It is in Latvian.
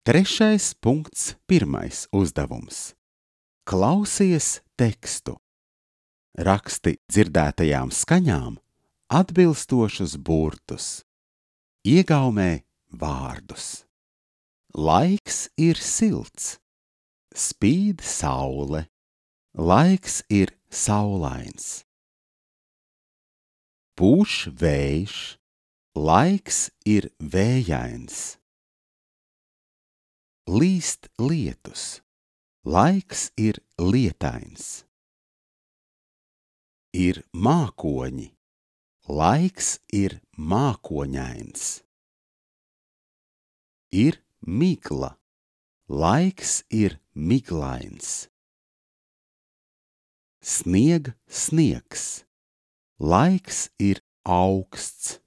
3.1. uzdevums. Klausies tekstu. Raksti dzirdētajām skaņām atbilstošus burtus. Iegaumē vārdus. Laiks ir silts. Spīd saule. Laiks ir saulains. Pūš vējš. Laiks ir vējains. Līst lietus. Laiks ir lietains. Ir mākoņi. Laiks ir mākoņains. Ir migla. Laiks ir miglains. Snieg sniegs. Laiks ir auksts.